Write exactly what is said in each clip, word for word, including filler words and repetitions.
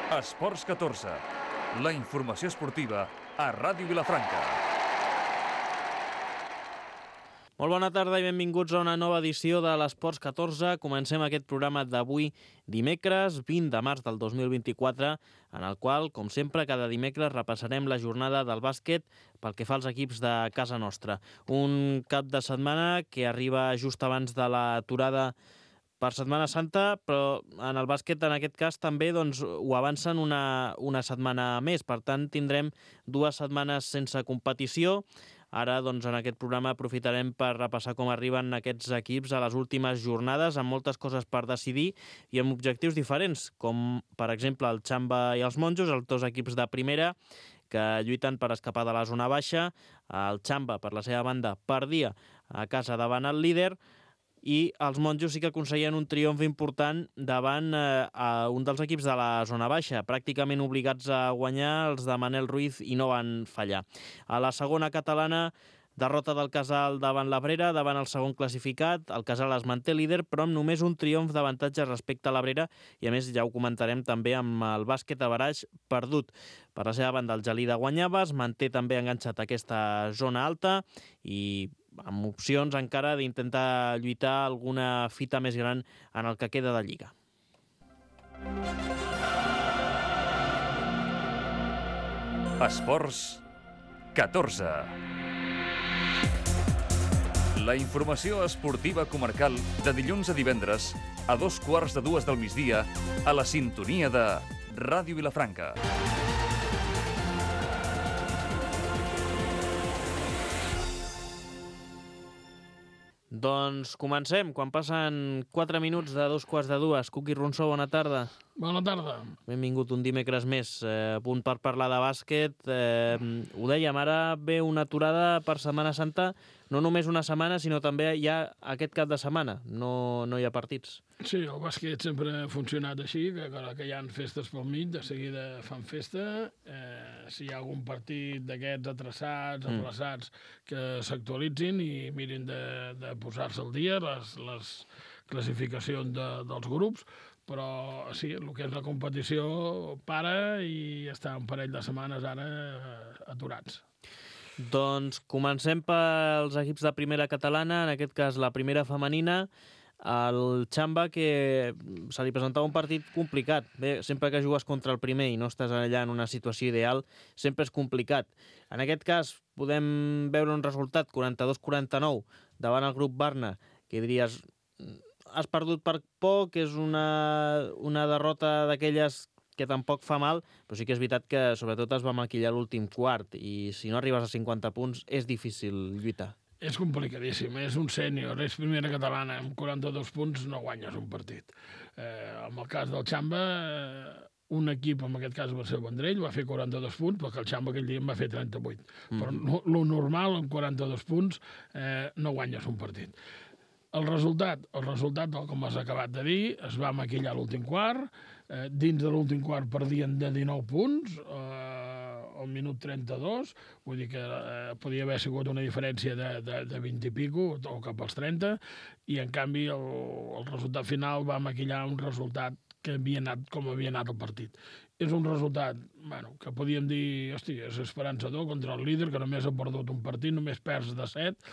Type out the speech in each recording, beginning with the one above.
Esports catorze, la informació esportiva a Ràdio Vilafranca. Molt bona tarda i benvinguts a una nova edició de l'Esports catorze. Comencem aquest programa d'avui dimecres, vint de març del dos mil vint-i-quatre, en el qual, com sempre, cada dimecres repassarem la jornada del bàsquet pel que fa als equips de casa nostra. Un cap de setmana que arriba just abans de l'aturada per Setmana Santa, però en el bàsquet, en aquest cas, també doncs, ho avancen una, una setmana més. Per tant, tindrem dues setmanes sense competició. Ara, doncs, en aquest programa aprofitarem per repassar com arriben aquests equips a les últimes jornades, amb moltes coses per decidir i amb objectius diferents, com, per exemple, el Xamba i els Monjos, els dos equips de primera, que lluiten per escapar de la zona baixa. El Xamba, per la seva banda, perdia a casa davant el líder, i els Monjos sí que aconseguien un triomf important davant eh, a un dels equips de la zona baixa, pràcticament obligats a guanyar els de Manel Ruiz i no van fallar. A la segona catalana, derrota del Casal davant l'Abrera, davant el segon classificat. El Casal es manté líder, però amb només un triomf d'avantatge respecte a l'Abrera, i a més ja ho comentarem també amb el bàsquet a Baraix perdut. Per la seva banda, el Gelida guanyava, es manté també enganxat a aquesta zona alta i amb opcions encara d'intentar lluitar alguna fita més gran en el que queda de Lliga. Esports catorze. La informació esportiva comarcal de dilluns a divendres a dos quarts de dues del migdia a la sintonia de Ràdio Vilafranca. Doncs comencem, quan passen quatre minuts de dos quarts de dues. Cuqui Ronsó, bona tarda. Bona tarda. Benvingut un dimecres més, eh, a punt per parlar de bàsquet. Eh, ho dèiem, ara ve una aturada per Setmana Santa, no només una setmana, sinó també ja aquest cap de setmana. No, no hi ha partits. Sí, el bàsquet sempre ha funcionat així, que ara que hi ha festes pel mig, de seguida fan festa. Eh, si hi ha algun partit d'aquests atraçats, aplaçats, que s'actualitzin i mirin de, de posar-se al dia les, les classificacions de, dels grups, però sí, el que és la competició para i està un parell de setmanes ara aturats. Doncs comencem pels equips de primera catalana, en aquest cas la primera femenina, el Xamba, que se li presentava un partit complicat. Bé, sempre que jugues contra el primer i no estàs allà en una situació ideal, sempre és complicat. En aquest cas podem veure un resultat quaranta-dos quaranta-nou davant el grup Barna, que diries, has perdut per poc, és una, una derrota d'aquelles que tampoc fa mal, però sí que és veritat que sobretot es va maquillar l'últim quart i si no arribes a cinquanta punts és difícil lluitar. És complicadíssim, és un sènior, és primera catalana, amb quaranta-dos punts no guanyes un partit. Eh, en el cas del Xamba, eh, un equip, en aquest cas va ser el Vendrell, va fer quaranta-dos punts, perquè el Xamba aquell dia en va fer trenta-vuit. Mm. Però no, lo normal, amb quaranta-dos punts, eh, no guanyes un partit. El resultat, el resultat, com has acabat de dir, es va maquillar l'últim quart, eh, dins de l'últim quart perdien de dinou punts, eh, al minut trenta-dos, vull dir que eh, podia haver sigut una diferència de, de, de vint i pico, o cap als trenta, i en canvi el, el resultat final va maquillar un resultat que havia anat com havia anat el partit. És un resultat, bueno, que podíem dir, hosti, és esperançador contra el líder, que només ha perdut un partit, només perds de set,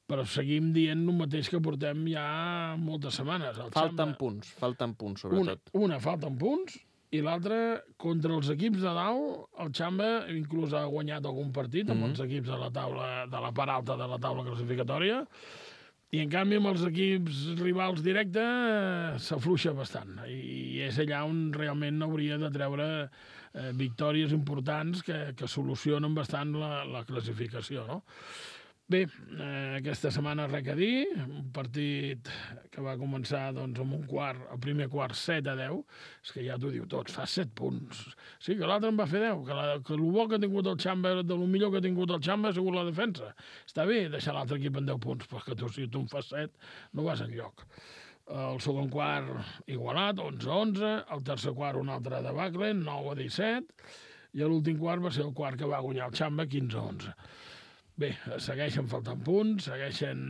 però seguim dient el mateix que portem ja moltes setmanes. El falten Xamba, punts, falten punts, sobretot. Una, una falten punts, i l'altra, contra els equips de dalt, el Xamba inclús ha guanyat algun partit amb mm-hmm. els equips de la taula, de la part alta de la taula classificatòria, i en canvi amb els equips rivals directes s'afluixa bastant, i és allà on realment hauria de treure eh, victòries importants que, que solucionen bastant la, la classificació, no? Bé, eh, aquesta setmana res a dir, un partit que va començar doncs, amb un quart, el primer quart set a deu, és que ja t'ho diu tot, fa set punts. Sí, que l'altre en va fer deu, que, la, que el bo que ha tingut el Xamba, de lo millor que ha tingut el Xamba ha sigut la defensa. Està bé deixar l'altre equip en deu punts, perquè tu, si tu en fas set no vas enlloc. El segon quart igualat, onze a onze, el tercer quart un altre debacle, nou a disset, i l'últim quart va ser el quart que va guanyar el Xamba, quinze a onze. Bé, segueixen faltant punts, segueixen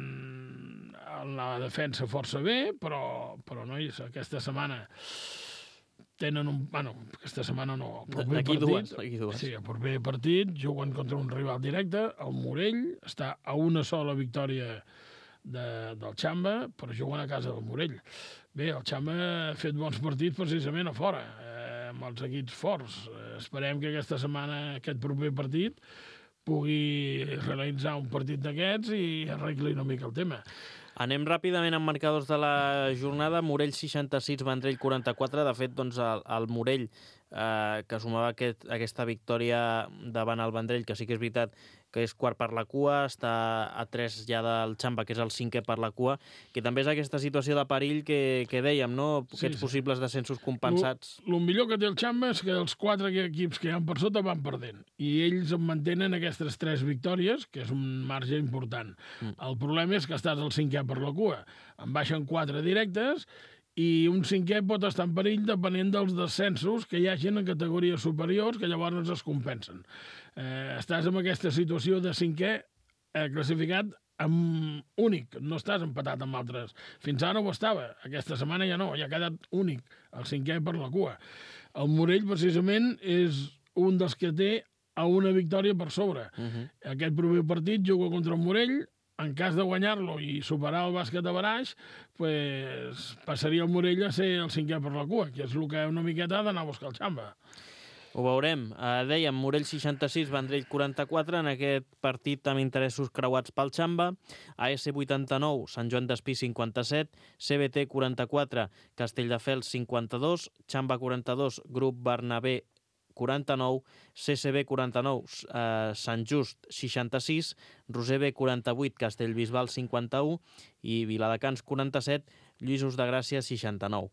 en la defensa força bé, però, però nois, aquesta setmana tenen un... Bueno, aquesta setmana no. D'aquí dues, d'aquí dues. Sí, el proper partit juguen contra un rival directe, el Morell, està a una sola victòria de, del Xamba, però juguen a casa del Morell. Bé, el Xamba ha fet bons partits precisament a fora, eh, amb els equips forts. Eh, esperem que aquesta setmana, aquest proper partit, pugui realitzar un partit d'aquests i arregli una mica el tema. Anem ràpidament amb marcadors de la jornada. Morell seixanta-sis, Vendrell quaranta-quatre. De fet, doncs, el, el Morell, eh, que sumava aquest, aquesta victòria davant el Vendrell, que sí que és veritat que és quart per la cua, està a tres ja del Xamba, que és el cinquè per la cua, que també és aquesta situació de perill que, que dèiem, no? Aquests sí, sí. possibles descensos compensats. El millor que té el Xamba és que els quatre equips que hi ha per sota van perdent, i ells mantenen aquestes tres victòries, que és un marge important. Mm. El problema és que estàs al cinquè per la cua. En baixen quatre directes, i un cinquè pot estar en perill depenent dels descensos que hi hagin en categories superiors, que llavors es compensen. Eh, estàs en aquesta situació de cinquè eh, classificat amb únic, no estàs empatat amb altres. Fins ara ho estava, aquesta setmana ja no, ja ha quedat únic, el cinquè per la cua. El Morell, precisament, és un dels que té a una victòria per sobre. Uh-huh. Aquest proper partit juga contra el Morell. En cas de guanyar-lo i superar el bàsquet a Baraix, pues, passaria el Morell a ser el cinquè per la cua, que és el que una miqueta ha d'anar a buscar el Xamba. Ho veurem. Uh, dèiem, Morell seixanta-sis, Vendrell quaranta-quatre, en aquest partit amb interessos creuats pel Xamba. A S vuitanta-nou, Sant Joan d'Espí cinquanta-set, C B T quaranta-quatre, Castelldefels cinquanta-dos, Xamba quaranta-dos, Grup Bernabé quaranta-nou, C C B quaranta-nou, eh, Sant Just seixanta-sis, Roser B quaranta-vuit, Castellbisbal cinquanta-u i Viladecans quaranta-set, Lluïsos de Gràcia seixanta-nou.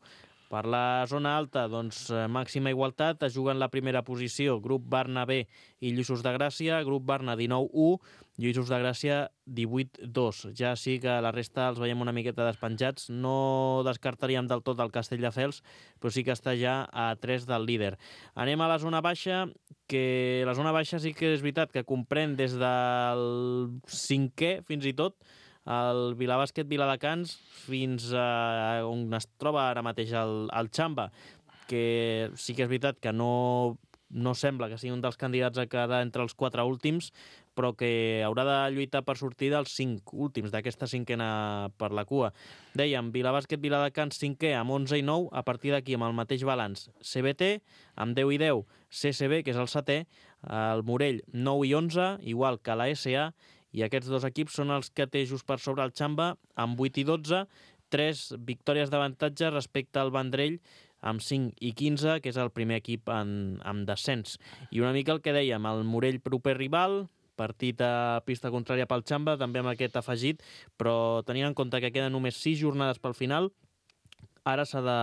Per la zona alta, doncs, màxima igualtat, es juguen la primera posició, Grup Barna B i Lluïsos de Gràcia, Grup Barna dinou u, Lluïsos de Gràcia divuit dos. Ja sí que la resta els veiem una miqueta despenjats. No descartaríem del tot el Castelldefels, però sí que està ja a tres del líder. Anem a la zona baixa, que la zona baixa sí que és veritat que comprèn des del cinquè fins i tot, el Vilabàsquet Viladecans fins a on es troba ara mateix el, el Xamba, que sí que és veritat que no, no sembla que sigui un dels candidats a quedar entre els quatre últims, però que haurà de lluitar per sortir dels cinc últims, d'aquesta cinquena per la cua. Dèiem, Vilabàsquet Viladecans cinquè amb onze i nou, a partir d'aquí amb el mateix balanç. C B T amb deu i deu, C C B, que és el setè, el Morell nou i onze, igual que la S A, i aquests dos equips són els que té just per sobre el Xamba amb vuit i dotze, tres victòries d'avantatge respecte al Vendrell amb cinc i quinze, que és el primer equip en, en descens. I una mica el que dèiem, el Morell proper rival, partit a pista contrària pel Xamba, també amb aquest afegit, però tenint en compte que queden només sis jornades pel final, ara s'ha de,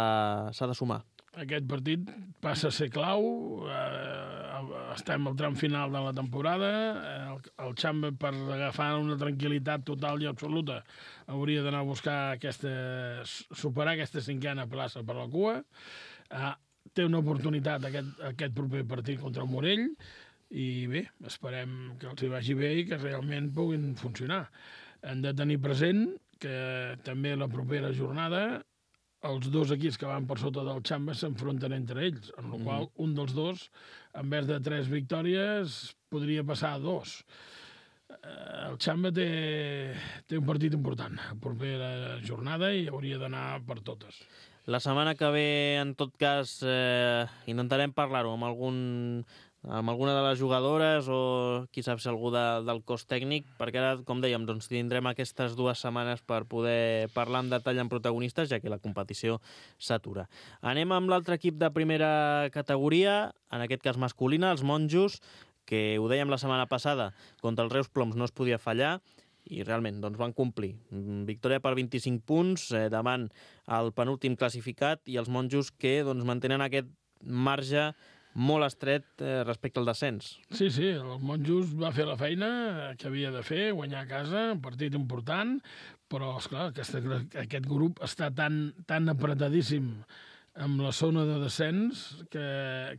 s'ha de sumar. Aquest partit passa a ser clau, eh, estem al tram final de la temporada, el, el Xamba, per agafar una tranquil·litat total i absoluta, hauria d'anar a buscar aquesta, superar aquesta cinquena plaça per la cua. Eh, té una oportunitat aquest, aquest proper partit contra el Morell, i bé, esperem que els hi vagi bé i que realment puguin funcionar. Hem de tenir present que també la propera jornada els dos equips que van per sota del Xamba s'enfronten entre ells, en la qual un dels dos, en vez de tres victòries, podria passar a dos. El Xamba té, té un partit important a la propera jornada i hauria d'anar per totes. La setmana que ve, en tot cas, eh, intentarem parlar-ho amb algun... amb alguna de les jugadores o qui sap si algú de, del cos tècnic, perquè ara, com dèiem, doncs tindrem aquestes dues setmanes per poder parlar en detall amb protagonistes, ja que la competició s'atura. Anem amb l'altre equip de primera categoria, en aquest cas masculina, els Monjos, que ho dèiem la setmana passada, contra els Reus Ploms no es podia fallar, i realment doncs, van complir. Victòria per vint-i-cinc punts eh, davant el penúltim classificat, i els Monjos que doncs, mantenen aquest marge molt estret eh, respecte al descens. Sí, sí, el Monjos va fer la feina que havia de fer, guanyar a casa, un partit important, però, esclar, aquesta, aquest grup està tan, tan apretadíssim amb la zona de descens que,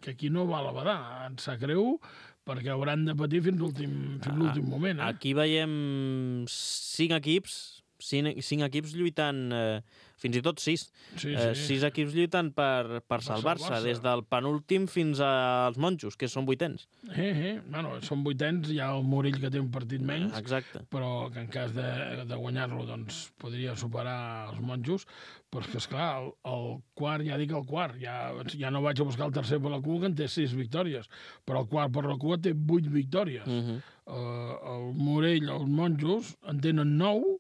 que aquí no va a la badar. Ens sap greu, perquè hauran de patir fins l'últim fins l'últim moment. Eh? Aquí veiem cinc equips cinc, cinc equips lluitant, eh, fins i tot sis, Sí, eh, sí. sis equips lluitant per, per salvar-se, salvar-se. des del penúltim fins als monjos, que són vuitens. Eh, eh. Bueno, són vuitens, hi ha el Morell que té un partit menys, Exacte. però que en cas de, de guanyar-lo doncs, podria superar els monjos, però és que, esclar, el, el quart, ja dic el quart, ja, ja no vaig a buscar el tercer per la cua, que en té sis victòries, però el quart per la cua té vuit victòries. Uh -huh. uh, el Morell, els monjos, en tenen nou,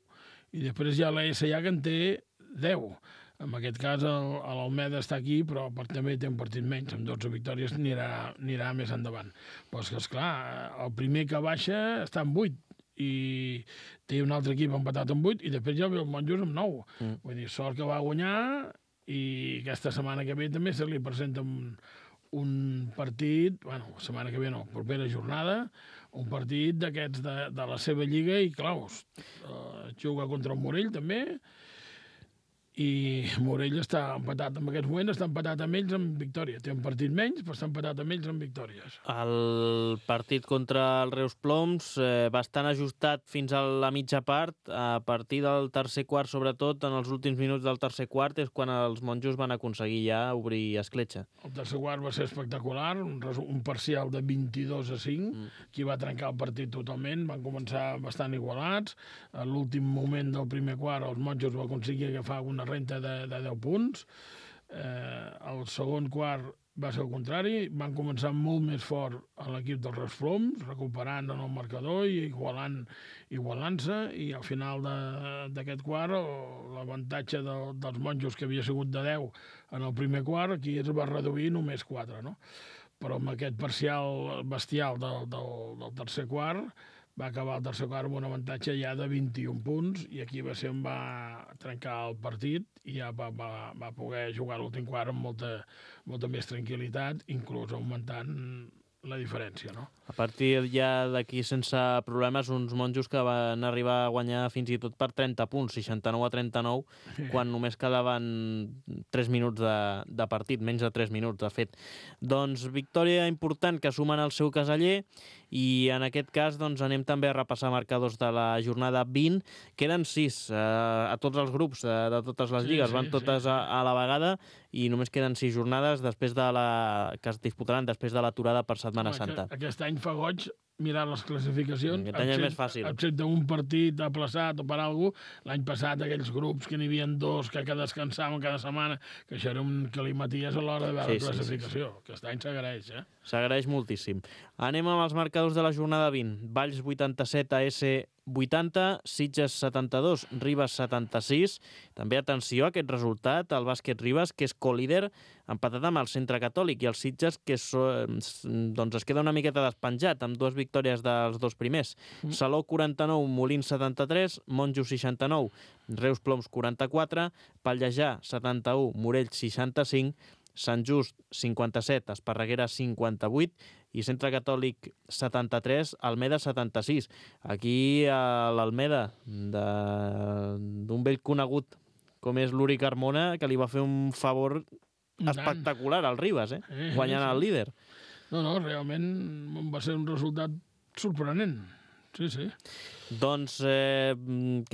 i després hi ha l'A S A que en té deu. En aquest cas, el- l'Almeda està aquí, però per, també té un partit menys. Amb dotze victòries anirà, anirà més endavant. Però és que, esclar, el primer que baixa està en vuit, i té un altre equip empatat amb vuit, i després ja ve el Monjos amb nou. Mm. Vull dir, sort que va guanyar, i aquesta setmana que ve també se li presenta un, un partit, bueno, setmana que ve no, propera jornada, un partit d'aquests de, de la seva lliga, i claus, uh, juga contra el Morell també, i Morell està empatat en aquest moment, està empatat amb ells amb victòria. Té un partit menys, però està empatat amb ells amb victòries. El partit contra el Reus Ploms, eh, bastant ajustat fins a la mitja part. A partir del tercer quart, sobretot, en els últims minuts del tercer quart, és quan els monjos van aconseguir ja obrir escletxa. El tercer quart va ser espectacular, un, resu- un parcial de vint-i-dos a cinc, Mm. que va trencar el partit totalment, van començar bastant igualats. A l'últim moment del primer quart, els monjos va aconseguir agafar una renta de, de deu punts. Eh, el segon quart va ser el contrari, van començar molt més fort a l'equip dels Reus Ploms, recuperant en el marcador i igualant, igualant-se, i al final de- d'aquest quart el- l'avantatge de, dels monjos, que havia sigut de deu en el primer quart, aquí es va reduir només quatre, no? Però amb aquest parcial bestial del, del, del tercer quart va acabar el tercer quart amb un avantatge ja de vint-i-un punts, i aquí va ser on va trencar el partit i ja va, va, va poder jugar l'últim quart amb molta, molta més tranquil·litat, inclús augmentant la diferència, no? A partir ja d'aquí, sense problemes, uns monjos que van arribar a guanyar fins i tot per trenta punts, seixanta-nou a trenta-nou, quan només quedaven tres minuts de, de partit, menys de tres minuts, de fet. Doncs victòria important que sumen al seu caseller, i en aquest cas doncs, anem també a repassar marcadors de la jornada vint. Queden sis eh, a tots els grups de, de totes les Sí, lligues, sí, van totes sí. a, a la vegada, i només queden sis jornades després de la, que es disputaran després de l'aturada per Setmana Home, Santa. Aquest, aquest any fa goig mirar les classificacions. Aquest any és més fàcil. Excepte un partit aplaçat o per alguna cosa. L'any passat aquells grups que n'hi havia dos que, que descansaven cada setmana, que això era un calimaties a l'hora de veure Sí, la sí, classificació. Sí, sí, sí. Aquest any s'agraeix, eh? S'agraeix moltíssim. Anem amb els marcadors de la jornada vint. Valls vuitanta-set, A S vuitanta, Sitges setanta-dos, Ribes setanta-sis. També atenció a aquest resultat, el bàsquet Ribes, que és co-líder, empatat amb el Centre Catòlic, i el Sitges, que és, doncs es queda una miqueta despenjat, amb dues victòries dels dos primers. Mm. Salou quaranta-nou, Molins setanta-tres, Monjos seixanta-nou, Reus Ploms quaranta-quatre, Pallejà setanta-u, Morell seixanta-cinc, Sant Just cinquanta-set, Esparreguera cinquanta-vuit i Centre Catòlic setanta-tres, Almeda setanta-sis. Aquí a l'Almeda, d'un vell conegut com és l'Uri Carmona, que li va fer un favor espectacular al Ribes, eh? Eh, guanyant sí. el líder. No, no, realment va ser un resultat sorprenent. Sí, sí. Doncs eh,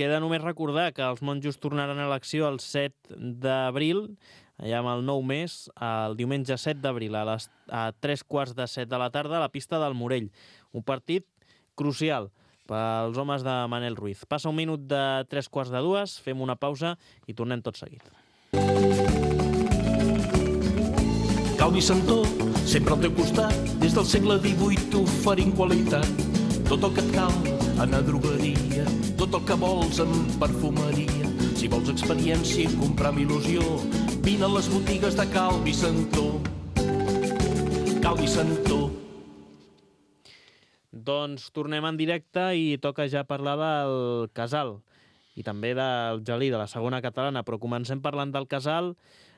queda només recordar que els monjos tornaran a l'acció el set d'abril, allà amb el nou mes, el diumenge set d'abril, a, les, a tres quarts de set de la tarda, a la pista del Morell. Un partit crucial pels homes de Manel Ruiz. Passa un minut de tres quarts de dues, fem una pausa i tornem tot seguit. Calvi Santó, sempre al teu costat, des del segle divuit oferint qualitat. Tot el que et cal en a drogueria, tot el que vols en perfumeria. Si vols experiència i comprar amb il·lusió, vine a les botigues de Calvi Santó. Calvi Santó. Doncs tornem en directe i toca ja parlar del Casal i també del Gelí, de la segona catalana, però comencem parlant del Casal,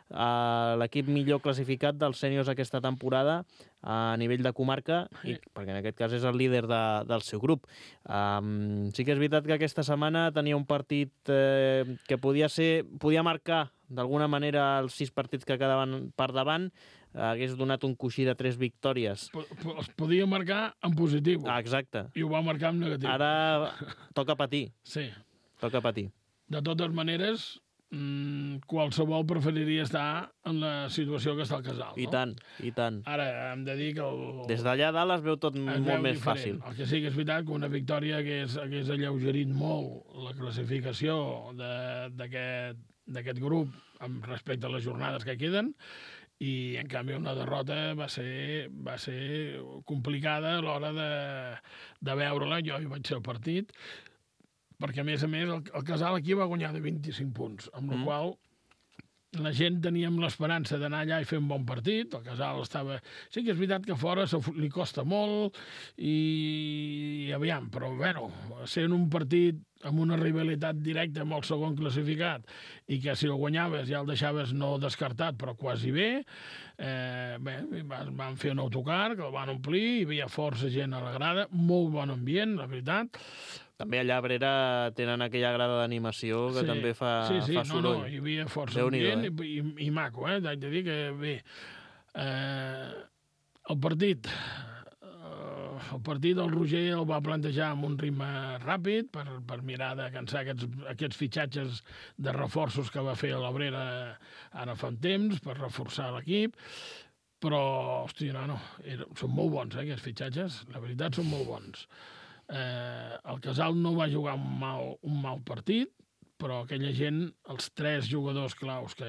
l'equip millor classificat dels sèniors aquesta temporada a nivell de comarca, i, perquè en aquest cas és el líder de, del seu grup. Um, sí que és veritat que aquesta setmana tenia un partit eh, que podia ser, podia marcar d'alguna manera els sis partits que quedaven per davant, hagués donat un coixí de tres victòries. Es podia marcar en positiu. Ah, exacte. I ho va marcar en negatiu. Ara toca patir. Sí. Toca patir. De totes maneres, mmm, qualsevol preferiria estar en la situació que està al Casal, no? I tant, i tant. Ara, hem de dir que... El... Des d'allà dalt es veu tot es molt veu més diferent. fàcil. El que sí que és veritat que una victòria hagués, hagués alleugerit molt la classificació d'aquest grup amb respecte a les jornades que queden, i en canvi una derrota va ser, va ser complicada a l'hora de, de veure-la. Jo hi vaig ser al partit, perquè a més a més el, el Casal aquí va guanyar de vint-i-cinc punts, amb la mm. qual la gent teníem l'esperança d'anar allà i fer un bon partit. El Casal estava... Sí que és veritat que fora li costa molt i, i aviam, però bueno, sent un partit amb una rivalitat directa amb el segon classificat i que si el guanyaves ja el deixaves no descartat, però quasi bé, eh, bé, van fer un autocar que el van omplir, hi havia força gent a la grada, molt bon ambient, la veritat. També allà a Abrera tenen aquella grada d'animació que sí, també fa, sí, sí, fa soroll. No, no, hi havia força Déu-n'hi-do, ambient eh? i, i, i maco, eh? Haig de dir que bé, eh, el partit eh, el partit el Roger el va plantejar amb un ritme ràpid per, per mirar de cansar aquests, aquests fitxatges de reforços que va fer a l'Abrera ara fa un temps per reforçar l'equip, però, hòstia, no, no, era, són molt bons, eh, aquests fitxatges, la veritat són molt bons. Eh, el Casal no va jugar un mal, un mal partit, però aquella gent, els tres jugadors claus, que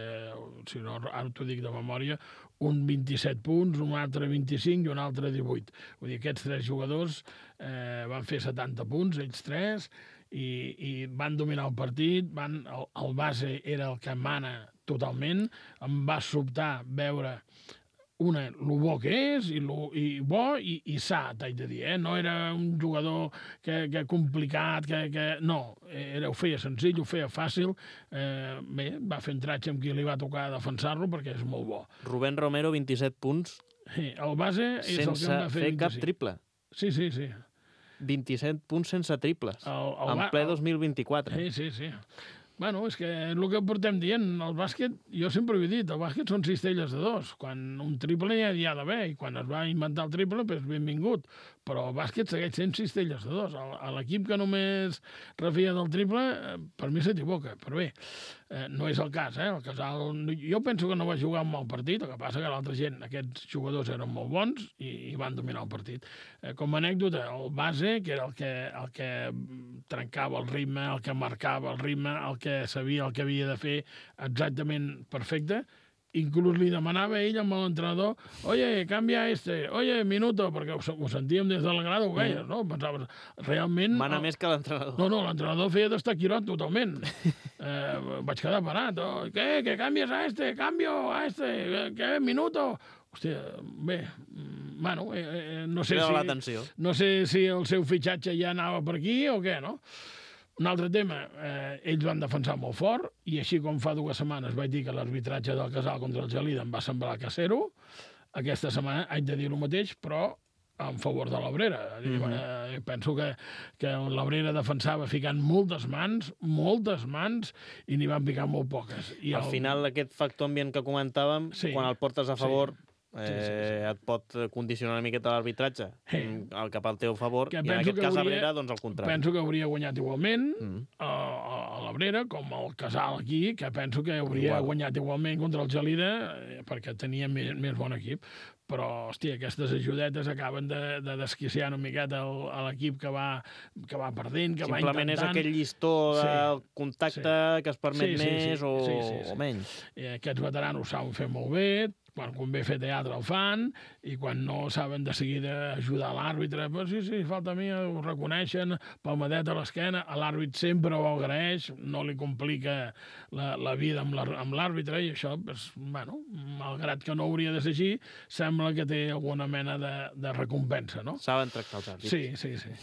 si no, ara t'ho dic de memòria, un vint-i-set punts, un altre vint-i-cinc i un altre divuit. Vull dir, aquests tres jugadors eh, van fer setanta punts, ells tres, i, i van dominar el partit, van, el, el base era el que mana totalment, em va sobtar veure una, el bo que és, i, lo, i bo i, i sa, t'haig de dir, eh? No era un jugador que, que complicat, que, que... no, era, ho feia senzill, ho feia fàcil, eh, bé, va fer entratge amb qui li va tocar defensar-lo perquè és molt bo. Rubén Romero, vint-i-set punts, sí, el base és el que em va fer fer cap triple. Sí, sí, sí. vint-i-set punts sense triples, el, el, en ple dos mil vint-i-quatre. Sí, sí, sí. Bueno, és que és el que portem dient, el bàsquet, jo sempre ho he dit, el bàsquet són cistelles de dos, quan un triple ja hi ha d'haver, i quan es va inventar el triple, doncs benvingut, però el bàsquet segueix sent cistelles de dos. L'equip que només refia del triple, per mi s'equivoca, però bé, eh, no és el cas, eh? El Casal, jo penso que no va jugar un mal partit, el que passa que l'altra gent, aquests jugadors eren molt bons i, i van dominar el partit. Eh, com a anècdota, el base, que era el que, el que trencava el ritme, el que marcava el ritme, el que que sabia el que havia de fer exactament perfecte, inclús li demanava a ell amb l'entrenador, oye, canvia este, oye, minuto, perquè ho, ho sentíem des de la grada, ho veies, no? Pensaves, realment... Mana el... més que l'entrenador. No, no, l'entrenador feia d'estaquirot totalment. eh, vaig quedar parat. Oh, què, que canvies a este, canvio a este, què, minuto... Hòstia, bé, bueno, eh, no sé si... No sé si el seu fitxatge ja anava per aquí o què, no? Un altre tema, eh, ells van defensar molt fort, i així com fa dues setmanes vaig dir que l'arbitratge del Casal contra el Gelida em va semblar casero, aquesta setmana haig de dir el mateix, però en favor de l'Abrera. Mm-hmm. eh, penso que, que l'Abrera defensava ficant moltes mans, moltes mans, i n'hi van picar molt poques. I Al el... final, aquest factor ambient que comentàvem, sí, quan el portes a favor... Sí. Sí, sí, sí. Eh, et pot condicionar una miqueta l'arbitratge sí. el cap al teu favor, que i en aquest cas hauria, Abrera, doncs el contrari. Penso que hauria guanyat igualment mm. a, a l'Abrera, com el Casal aquí, que penso que hauria Igual. guanyat igualment contra el Gelida, eh, perquè tenia més, més bon equip. Però, hòstia, aquestes ajudetes acaben de, de desquiciar una miqueta el, a l'equip que va, que va perdent, que Simplement va intentant... és aquell llistó de sí, contacte sí. que es permet sí, sí, més sí, o, sí, sí, sí. o menys. I aquests veteranos saben fer molt bé, quan convé fer teatre el fan, i quan no saben de seguida ajudar l'àrbitre, però sí, sí, falta a mi, ho reconeixen, palmadeta a l'esquena, l'àrbit sempre ho agraeix, no li complica la, la vida amb l'àrbitre, i això, pues, bueno, malgrat que no hauria de ser així, sembla que té alguna mena de, de recompensa, no? Saben tractar els àrbits. Sí, sí, sí.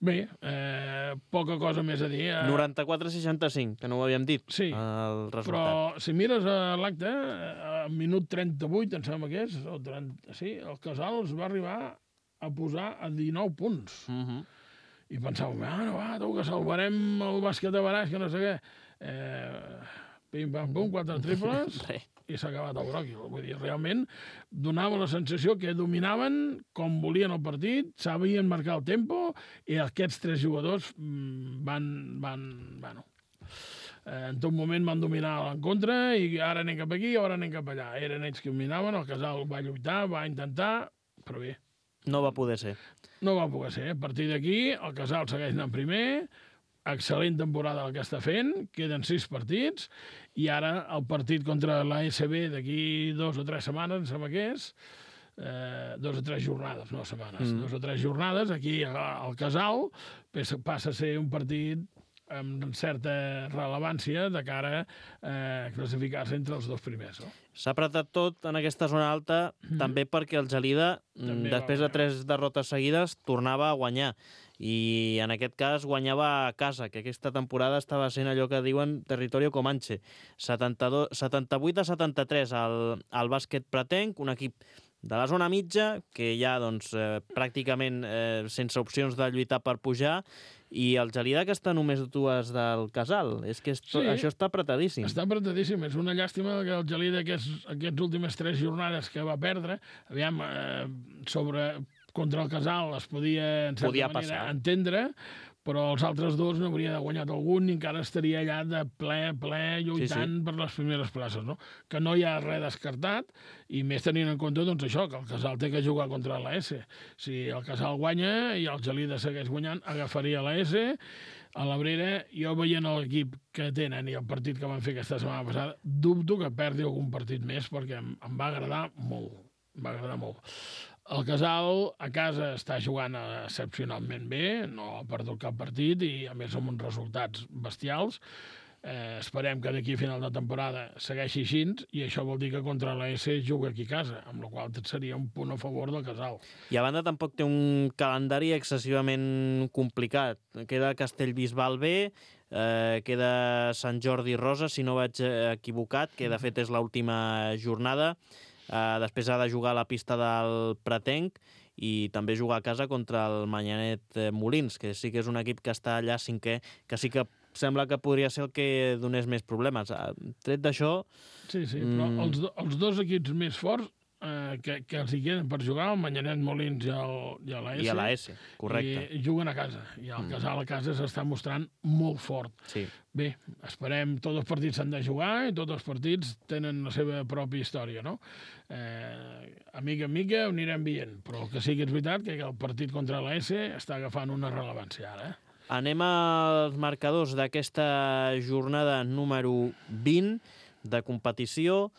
Bé, eh, poca cosa més a dir. Eh? noranta-quatre a seixanta-cinc, que no ho havíem dit, sí, el resultat. Però si mires l'acte, al minut trenta-vuit, em sembla que és, o trenta, sí, el Casal es va arribar a posar a dinou punts. Uh-huh. I pensàvem, ah, no, va, tu, que salvarem el bàsquet de Baraix, que no sé què. Eh, pim, pam, pum, quatre triples... i s'ha acabat el bròquil. Vull dir, realment donava la sensació que dominaven com volien el partit, sabien marcar el tempo, i aquests tres jugadors van... van bueno, en tot moment van dominar l'encontre i ara anem cap aquí, ara anem cap allà. Eren ells que dominaven, el Casal va lluitar, va intentar, però bé. No va poder ser. No va poder ser. A partir d'aquí, el Casal segueix anant primer, excel·lent temporada el que està fent, queden sis partits, i ara el partit contra l'A S B d'aquí dos o tres setmanes, em sembla que és, eh, dos o tres jornades, no setmanes, mm. dos o tres jornades, aquí al Casal passa a ser un partit amb certa rellevància de cara a classificar-se entre els dos primers. No? S'ha apretat tot en aquesta zona alta, mm. també perquè el Gelida, també després de tres derrotes seguides, tornava a guanyar. I en aquest cas guanyava a casa, que aquesta temporada estava sent allò que diuen territorio comanche. setanta-vuit a setanta-tres al, al bàsquet pretenc, un equip de la zona mitja, que ja doncs, eh, pràcticament eh, sense opcions de lluitar per pujar, i el Gelida que està només dues del Casal. És que esto, sí, això està apretadíssim. Està apretadíssim. És una llàstima que el Gelida aquests, aquests últimes tres jornades que va perdre, aviam, eh, sobre contra el Casal es podia, en certa podia manera, passar. entendre, però els altres dos n'hauria de guanyat algun i encara estaria allà de ple, ple, lluitant sí, sí. per les primeres places, no? Que no hi ha res descartat, i més tenint en compte doncs, això, que el Casal té que jugar contra l'A S. Si el Casal guanya i el Gelida segueix guanyant, agafaria l'A S. A l'Abrera, jo veient l'equip que tenen i el partit que van fer aquesta setmana passada, dubto que perdi algun partit més, perquè em, em va agradar molt. Em va agradar molt. El Casal a casa està jugant excepcionalment bé, no ha perdut cap partit i a més amb uns resultats bestials. Eh, esperem que d'aquí a final de temporada segueixi així i això vol dir que contra l'A S juga aquí a casa, amb la qual seria un punt a favor del Casal. I a banda tampoc té un calendari excessivament complicat. Queda Castellbisbal B, eh, queda Sant Jordi Rosa, si no vaig equivocat, que de fet és l'última jornada. Uh, després ha de jugar a la pista del Pretenc i també jugar a casa contra el Manyanet Molins, que sí que és un equip que està allà cinquè, que sí que sembla que podria ser el que donés més problemes. Uh, tret d'això... Sí, sí, però mm... els, do, els dos equips més forts eh, que, que els hi queden per jugar, el Manyanet Molins i, el, i l'A S. I l'A S, correcte. I juguen a casa. I el mm. Casal a casa s'està mostrant molt fort. Sí. Bé, esperem, tots els partits s'han de jugar i tots els partits tenen la seva pròpia història, no? Eh, a mica en mica ho anirem veient, però el que sí que és veritat que el partit contra l'A S està agafant una rellevància ara. Eh? Anem als marcadors d'aquesta jornada número vint de competició.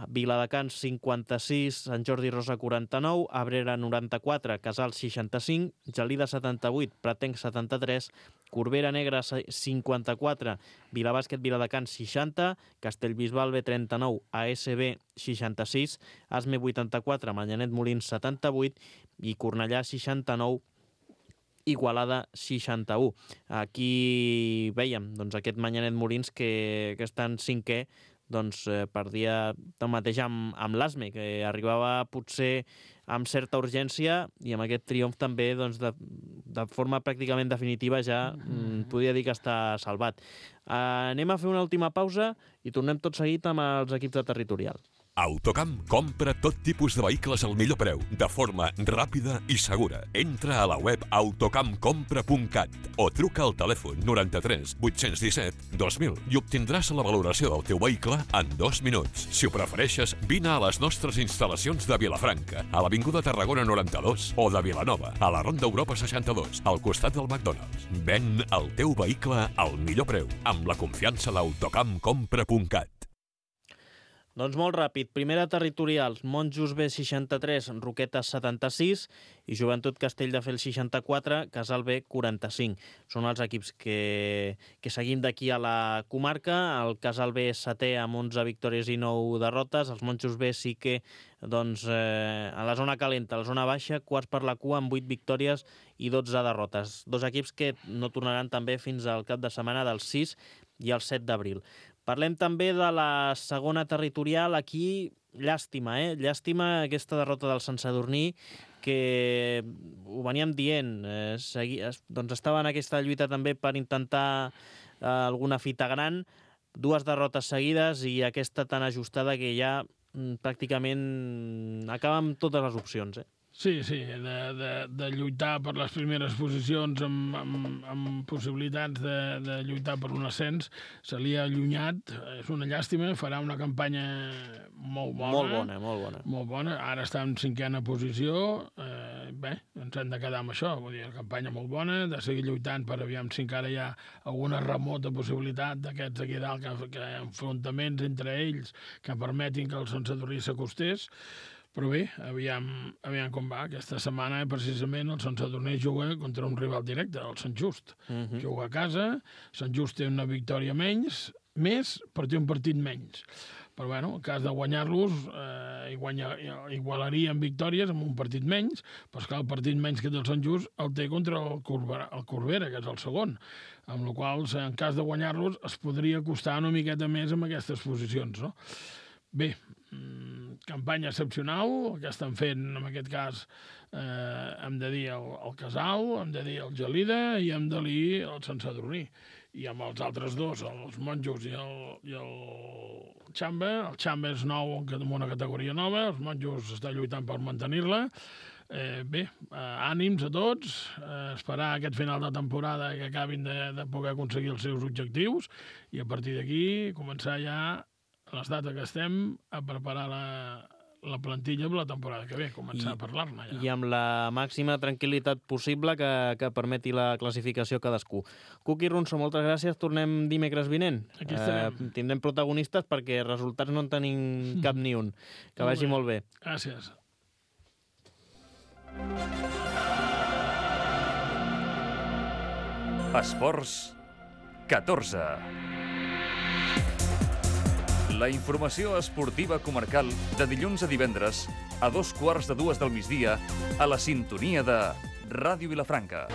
Viladecans cinquanta-sis, Sant Jordi Rosa quaranta-nou, Abrera noranta-quatre, Casal seixanta-cinc, Gelida setanta-vuit, Pretenc setanta-tres, Corbera Negra cinquanta-quatre, Vilabàsquet Viladecans seixanta, Castellbisbal B trenta-nou, A S B seixanta-sis, Asme vuitanta-quatre, Manyanet Molins setanta-vuit i Cornellà seixanta-nou, Igualada seixanta-u. Aquí veiem doncs, aquest Manyanet Molins que, que està en cinquè, doncs eh, perdia tanmateix amb, amb l'Asme, que arribava potser amb certa urgència i amb aquest triomf també doncs, de, de forma pràcticament definitiva ja mm, podria dir que està salvat. Uh, anem a fer una última pausa i tornem tot seguit amb els equips de territorial. Autocamp compra tot tipus de vehicles al millor preu, de forma ràpida i segura. Entra a la web autocamp compra punt cat o truca al telèfon noranta-tres vuit-cents disset dos mil i obtindràs la valoració del teu vehicle en dos minuts. Si ho prefereixes, vine a les nostres instal·lacions de Vilafranca, a l'Avinguda Tarragona noranta-dos o de Vilanova, a la Ronda Europa seixanta-dos, al costat del McDonald's. Ven el teu vehicle al millor preu, amb la confiança d'autocamp compra punt cat. Doncs molt ràpid. Primera territorial, Monjos B seixanta-tres, Roquetes setanta-sis i Joventut Castelldefels seixanta-quatre, Casal B quaranta-cinc. Són els equips que, que seguim d'aquí a la comarca. El Casal B és setè amb onze victòries i nou derrotes. Els Monjos B sí que doncs, eh, a la zona calenta, a la zona baixa, quarts per la cua amb vuit victòries i dotze derrotes. Dos equips que no tornaran també fins al cap de setmana del sis i el set d'abril. Parlem també de la segona territorial. Aquí, llàstima, eh? Llàstima aquesta derrota del Sant Sadurní, que ho veníem dient. Eh, segui, doncs estava en aquesta lluita també per intentar eh, alguna fita gran. Dues derrotes seguides i aquesta tan ajustada que ja mm, pràcticament acaba amb totes les opcions, eh? Sí, sí, de, de, de lluitar per les primeres posicions amb, amb, amb possibilitats de, de lluitar per un ascens. Se li ha allunyat, és una llàstima, farà una campanya molt bona. Molt bona, molt bona. Molt bona, ara està en cinquena posició, eh, bé, ens hem de quedar amb això, vull dir, una campanya molt bona, de seguir lluitant per aviam si encara hi ha alguna remota possibilitat d'aquests aquí dalt, que, que enfrontaments entre ells que permetin que el Sant Sadurní s'acostés. Però bé, aviam, aviam com va. Aquesta setmana, precisament, el Sant Sadurní juga contra un rival directe, el Sant Just. Uh -huh. Juga a casa, Sant Just té una victòria menys, més, però té un partit menys. Però, bueno, en cas de guanyar-los, eh, guanya, igualarien victòries amb un partit menys, però, esclar, el partit menys que té el Sant Just el té contra el Corbera, el Corbera, que és el segon, amb la qual cosa, en cas de guanyar-los, es podria costar una miqueta més amb aquestes posicions, no? Bé, campanya excepcional, el que estan fent, en aquest cas, eh, hem de dir el, el Casal, hem de dir el Gelida i hem de dir el Sant Sadurní. I amb els altres dos, els Monjos i el, i el Xamba, el Xamba és nou en una categoria nova, els Monjos estan lluitant per mantenir-la. Eh, bé, eh, ànims a tots, eh, esperar aquest final de temporada que acabin de, de poder aconseguir els seus objectius i a partir d'aquí començar ja a les dates que estem a preparar la, la plantilla per la temporada que ve, començar I, a parlar-ne ja. I amb la màxima tranquil·litat possible que, que permeti la classificació a cadascú. Cuqui Ronso, moltes gràcies. Tornem dimecres vinent. Aquí estarem. Eh, tindrem protagonistes perquè resultats no en tenim cap ni un. Que vagi molt bé. Gràcies. Esports catorze. La informació esportiva comarcal de dilluns a divendres a dos quarts de dues del migdia a la sintonia de Ràdio Vilafranca.